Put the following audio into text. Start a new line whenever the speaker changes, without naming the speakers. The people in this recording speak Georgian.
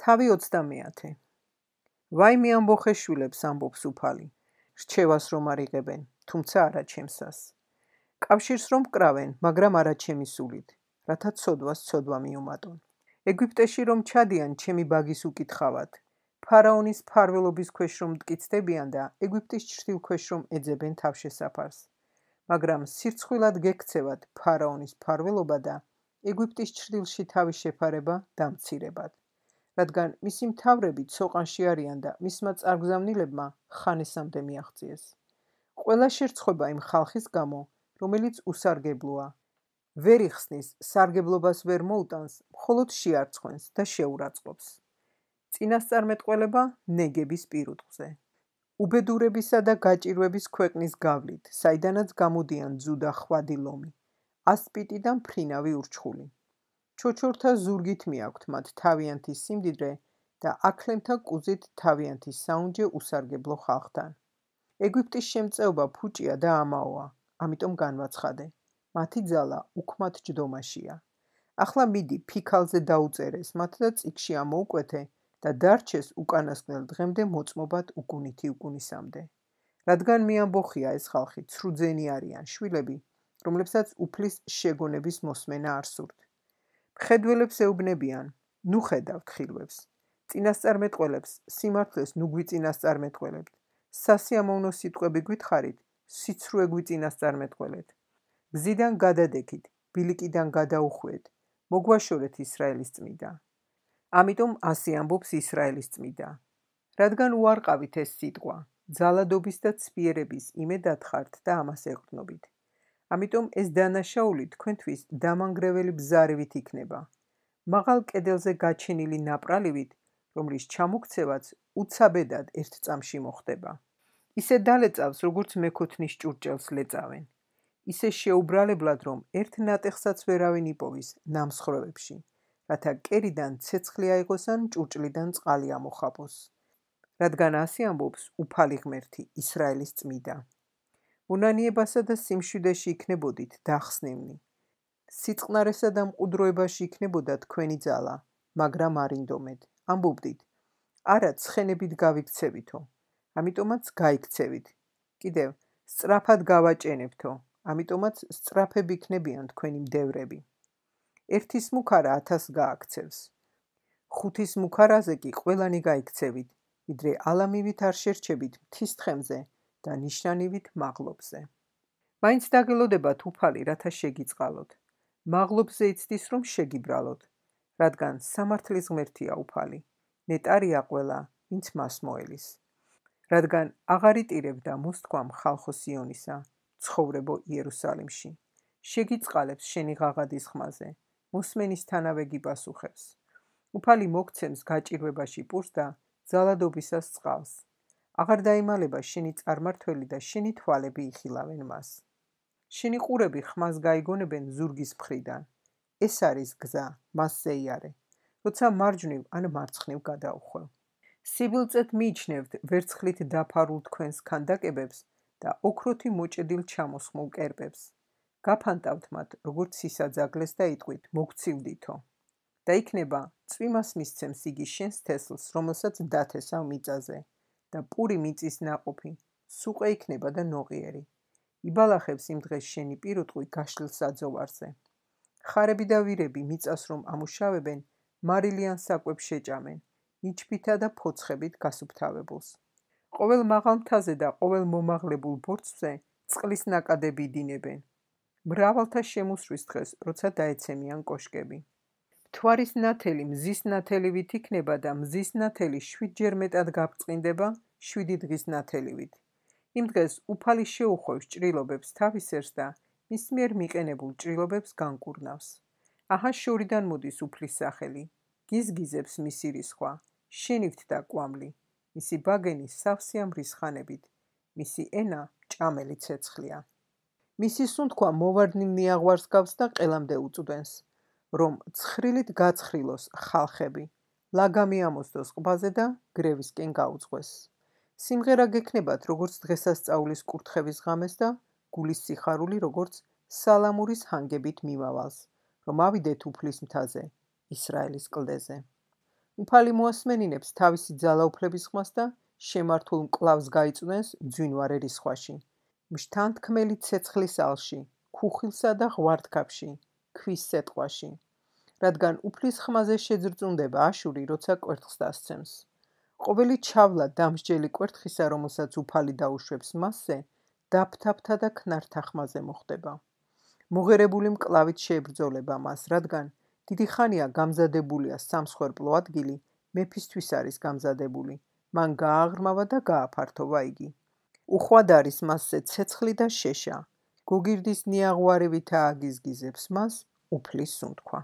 თავი 30. ვაიმე ამბოხე შვილებს ამბობს უფალი. რჩევას რომ არ იღებენ, თუმცა არა ჩემსას. კავშირს რომ მკრავენ, მაგრამ არა ჩემი სულით, რათა ცოდვას ცოდვა მიუმატონ. ეგვიპტეში რომ ჩადიან, ჩემი ბაგის უკითხავად. ფარაონის ფარველობის ქვეშ რომ მტკიცდებიან და ეგვიპტის ჩრდილ ქვეშ რომ ეძებენ თავშესაფარს. მაგრამ სირცხვილად გექცევათ ფარაონის ფარველობა და ეგვიპტის ჩრდილში თავის შეფარება დამცირებად. რადგან მისი მთავრები ცოყანში არიან და მისმა წარგზავნილებმა ხანესამდე მიაღწიეს. ყველა შერცხვება იმ ხალხის გამო, რომელიც უსარგებლოა. ვერ იხსნის, სარგებლობას ვერ მოუტანს, მხოლოდ შეარცხვენს და შეურაცხყოფს. წინასწარმეტყველება ნეგების პირუტყვზე. უბედურებისა და გაჭირვების ქვეყნის გავლით, საიდანაც გამოდიან ძუ და ხვადი ლომი, ასპიტი და მფრინავი ურჩხული. ჩოჩორთა ზურგით მიაქვთ მათ თავიანთი სიმდიდრე და აქლემთა კუზით თავიანთი საუნჯე უსარგებლო ხალხთან. ეგვიპტის შემწეობა ფუჭია და ამაოა, ამიტომ განვაცხადე. მათი ძალა უქმად ჯდომაშია. ახლა მიდი ფიქალზე დაუწერეს მათ და წიგში ამოუკვეთე და დარჩეს უკანასკნელ დღემდე მოწმობად უკუნითი უკუნისამდე. რადგან მიამბოხია ეს ხალხი ცრუძენი არიან შვილები, რომლებსაც უფლის შეგონების მოსმენა არ სურთ. მხედველებს ეუბნებიან, ნუ ხედავთ ხილვებს. წინასწარმეტყველებს სიმართლეს ნუ გვიწინასწარმეტყველებთ. სასიამოვნო სიტყვები გვითხრით, სიცრუე გვიწინასწარმეტყველეთ. გზიდან გადადექით, ბილიკიდან გადაუხვიეთ, მოგვაშორეთ ისრაელის წმიდა. ამიტომ ასე ამბობს ისრაელის წმიდა. რადგან უარყავით ეს სიტყვა, ძალადობის და ცვიერების იმედად ხართ და ამას ეყრდნობით. ამიტომ ეს დანაშაული თქვენთვის დამანგრეველი ბზარივით იქნება. მაღალ კედელზე გაჩენილი ნაპრალივით, რომლის ჩამოქცევაც უცაბედად ერთ წამში მოხდება. ისე დალეწავს, როგორც მეკოთნის ჭურჭელს ლეწავენ. ისე შეუბრალებლად, რომ ერთ ნატეხსაც ვერავინ იპოვის ნამსხვრევებში, რათა კერიდან ცეცხლი აიღოს ან ჭურჭლიდან წყალი ამოხაპოს. რადგან ასე ამბობს უფალი ღმერთი, ისრაელის წმიდა. უნანიებასა და სიმშვიდეში იქნებოდით დახსნილნი. სიწყნარესა და მყუდროებაში იქნებოდა თქვენი ძალა, მაგრამ არ ინდომეთ. ამბობდით, არა ცხენებით გავიქცევითო, ამიტომაც გაიქცევით. კიდევ, სწრაფად გავაჭენებთო, ამიტომაც სწრაფები იქნებიან თქვენი მდევრები. ერთის მუქარა 1000 გააქცევს. ხუთის მუქარაზე კი ყველანი გაიქცევით, ვიდრე ალამივით არ შერჩებით მთის თხემზე და ნიშნანივით მაღლობზე. მაინც დაგელოდებათ უფალი, რათა შეგიწყალოთ. მაღლობზე იცდის, რომ შეგიბრალოთ, რადგან სამართლის ღმერთია უფალი, ნეტარია ყველა, ვინც მას მოელის. რადგან აღარ იტირებდა მოსთქვამ ხალხო სიონისა, ცხოვრებო იერუსალიმში. შეგიწყალებს შენი ღაღადის ხმაზე, მოსმენისთანავე გიპასუხებს. უფალი მოგცემს გაჭირვებაში პურს და ძალადობისას წყალს. აღარ დაიმალება შენი წარმართველი და შენი თვალები იხილავენ მას. შენი ყურები ხმას გაიგონებენ ზურგის მხრიდან. ეს არის გზა, მასზე იარე, როცა მარჯვნივ ან მარცხნივ გადაუხვევ. სიბილწეთ მიიჩნევთ ვერცხლით დაფარულ თქვენს ქანდაკებებს და ოქროთი მოჭედილ ჩამოსხმულ კერპებს. გაფანტავთ მათ, როგორც სისაძაგლეს და იტყვით, მოგცივდითო. და იქნება, წვიმას მისცემს იგი შენს თესლს, რომელსაც დათესავ მიწაზე, და პური მიწის ნაყოფი, სუყე იქნება და ნოყიერი. იბალახებს იმ დღეს შენი პირუტყვი გაშლილ საძოვარზე. ხარები და ვირები მიწას რომ ამუშავებენ, მარილიან საკვებს შეჭამენ, ნიჩბითა და ფოცხებით გასუფთავებულს. ყოველ მაღალ მთაზე და ყოველ მომაღლებულ ბორცვზე წყლის ნაკადები იდინებენ. მრავალთა შემოსვლის დღეს, როცა დაეცემიან კოშკები. მთვარის ნათელი მზის ნათელივით იქნება და მზის ნათელი 7 ჯერ მეტად გაბრწყინდება 7 დღის ნათელივით. იმ დღეს უფალი შეუხვევს ჭრილობებს თავის ერს და მის მიერ მიყენებულ ჭრილობებს განკურნავს. აჰა შორიდან მოდის უფლის სახელი, გიზგიზებს მისი რისხვა, შენივთ და კვამლი, მისი ბაგენი სავსეა მრისხანებით, მისი ენა ჭამელი ცეცხლია. მისი სუნთქვა მოვარდნილ ნიაღვარს გავს და ყელამდე უწვდენს, რომ ცხრილით გაცხრილოს ხალხები, ლაგამი ამოსდოს ყბაზე და გრევისკენ გაუძღვეს. სიმღერა გექნებათ, როგორც დღესასწაულის კურთხევის ღამეს და გულის სიხარული, როგორც სალამურის ჰანგებით მიმავალს, რომ ავიდეთ უფლის მთაზე, ისრაელის კლდეზე. უფალი მოასმენინებს თავისი ძალაუფლების ხმას და შემართულ მკლავს გაიწვდენს მძვინვარე რისხვაში, მშთანთქმელი ცეცხლის ალში, ქუხილსა და ღვარდქაფში, ქვის სეტყვაში, რადგან უფლის ხმაზე შეძრწუნდება აშური, როცა კვერთხს დასცემს. ყოველი ჩავლა დამსჯელი კვერთხისა, რომელსაც უფალი დაუშვებს მასზე, დაფთაფთა და ქნართა ხმაზე მოხდება. მოღერებული მკლავით შეებრძოლება მას, რადგან დიდი ხანია გამზადებულია სამსხვერპლო ადგილი, მეფისთვის არის გამზადებული, მან გააღრმავა და გააფართოვა იგი. უხვად არის მასზე ცეცხლი და შეშა, გოგირდის ნიაღვარევითაა აგიზგიზებს მას უფლის სუნთქვა.